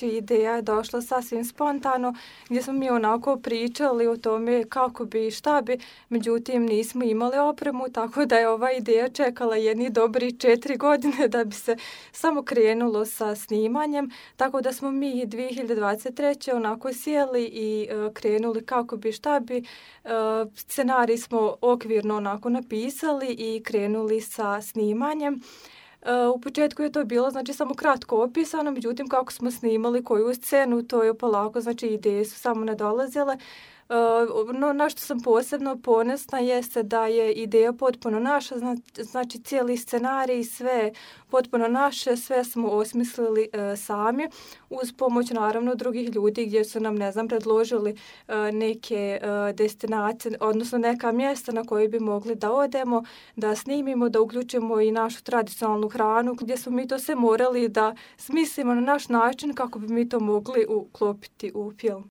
znači ideja je došla sasvim spontano, gdje smo mi onako pričali o tome kako bi i šta bi, međutim nismo imali opremu, tako da je ova ideja čekala jedni dobri 4 godine da bi se samo krenulo sa snimanjem, tako da smo mi 2023. onako sjeli i krenuli kako bi šta bi. Scenarij smo okvirno onako napisali i krenuli sa snimanjem. U početku je to bilo znači samo kratko opisano, međutim kako smo snimali koju scenu, to je polako, znači ideje su samo nadolazile. No, na što sam posebno ponosna jeste da je ideja potpuno naša, znači cijeli scenarij, sve potpuno naše, sve smo osmislili sami uz pomoć naravno drugih ljudi gdje su nam, predložili neke destinacije, odnosno neka mjesta na koje bi mogli da odemo, da snimimo, da uključimo i našu tradicionalnu hranu, gdje smo mi to sve morali da smislimo na naš način kako bi mi to mogli uklopiti u film.